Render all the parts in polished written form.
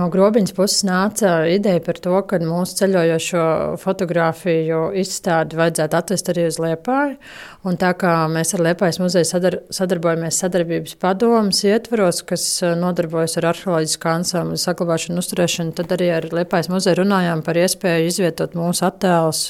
No Grobiņas puses nāca ideja par to, ka mūsu ceļojošo fotogrāfiju izstādi vajadzētu atvest arī uz Liepāju. Un tā kā mēs ar Liepājas muzeju sadarbojamies sadarbības padomes ietvaros, kas nodarbojas ar arheoloģiskā ansambļa saglabāšanu un uzturēšanu, tad arī ar Liepājas muzeju runājām par iespēju izvietot mūsu attēlus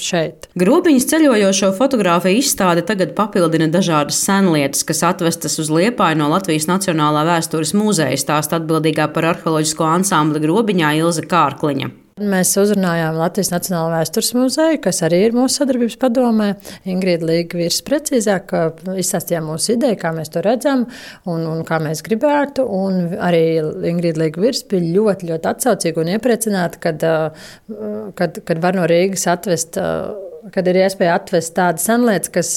šeit. Grobiņas ceļojošo fotogrāfiju izstāde tagad papildina dažādas senlietas, kas atvestas uz Liepāju no Latvijas Nacionālā vēstures muzeja, stāsta atbildīgā par arheoloģisko ansambli Grobiņā Ilze Kārkliņa. Mēs uzrunājām Latvijas Nacionālo vēstures muzeju, kas arī ir mūsu sadarbības padomē. Ingrīda Līga-Virs precīzāk izstāstījām mūsu ideju, kā mēs to redzam un kā mēs gribētu. Un arī Ingrīda Līga-Virs bija ļoti, ļoti atsaucīga un iepriecināta, kad var no Rīgas atvest. Kad ir iespēja atvest tādas senlietas, kas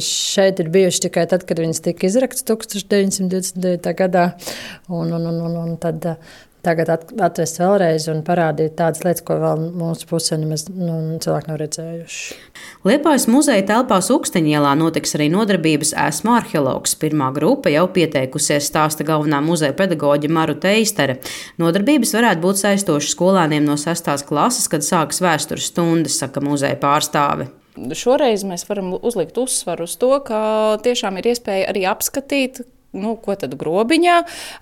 šeit ir bijušas tikai tad, kad viņas tika izraktas 1929. gadā. Un tad tagad atvest vēlreiz un parādīt tādas lietas, ko vēl mūsu pusē nemaz cilvēki nav redzējuši. Liepājas muzeja telpās Uksteņielā notiks arī nodarbības Esmu arheologs. Pirmā grupa jau pieteikusies, stāsta galvenā muzeja pedagoģe Maruta Eistere. Nodarbības varētu būt saistošas skolēniem no 6. klases, kad sākas vēstures stundas, saka muzeja pārstāve. Šoreiz mēs varam uzlikt uzsvaru uz to, ka tiešām ir iespēja arī apskatīt, ko tad Grobiņā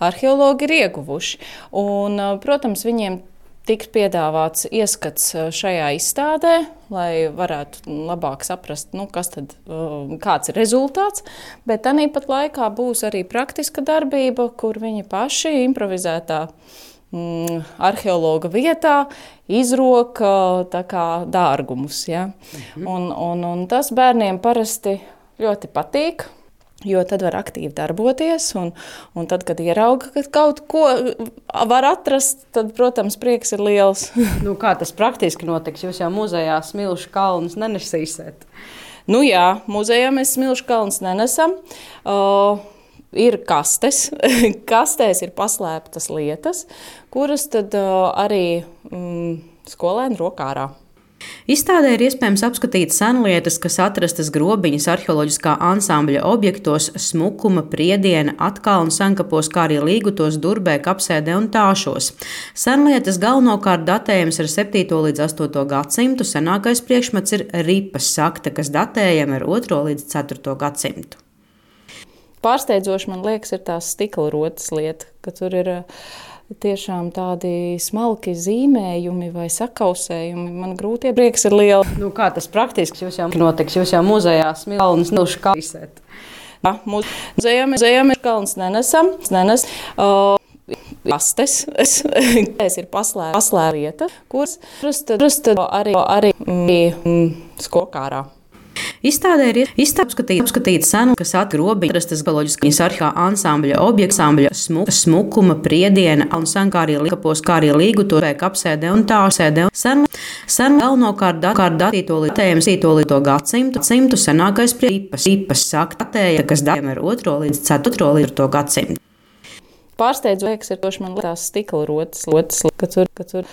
arheologi ir ieguvuši. Un, protams, viņiem tiks piedāvāts ieskats šajā izstādē, lai varētu labāk saprast, kāds ir rezultāts, bet tāpat laikā būs arī praktiska darbība, kur viņi paši improvizētā arheologa vietā izroka dārgumus. Ja? Un tas bērniem parasti ļoti patīk. Jo tad var aktīvi darboties, un tad, kad ierauga, ka kaut ko var atrast, tad, protams, prieks ir liels. Kā tas praktiski notiks? Jūs jau muzejā smilšu kalnus nenesīsiet? Jā, muzejā mēs smilšu kalnus nenesam. Ir kastes. Kastēs ir paslēptas lietas, kuras tad arī skolēni rok ārā. Izstādē ir iespējams apskatīt senlietas, kas atrastas Grobiņas arheoloģiskā ansambļa objektos Smukuma, Priediena, Atkalnu senkapos, kā arī Līgutos, Durbē, Kapsēdē un Tāšos. Senlietas galvenokārt datējams ar 7. līdz 8. gadsimtu, senākais priekšmets ir ripas sakta, kas datējama ar 2. līdz 4. gadsimtu. Pārsteidzoši, man liekas, ir tās stikla rotas lieta, ka tur ir tiešām tādi smalki zīmējumi vai sakausējumi. Man grūti prieks ir liela. Kā tas praktiski jūs jau notiks? Jūs jau muzejā smilšu kalnus. Muzejā mēs kalnus nenesam. Kastes. Ir paslēpta lieta, kuras tad arī skokārā. Izstādē ir apskatīt senu, kas Grobiņas atrastas Arheoloģiskās arheoloģiskā ansambļa objekta Smukuma, Priediena un senkapos, kā arī Līgutos, Kapsēdē un Tāšos. Senu galvenokārt datējams 7. gadsimtu, senākais ripas sakta datēja, kas datējama ar 2. līdz 4. gadsimtu. Pārsteidzoši, man liekas, tās stikla rotas, ka tur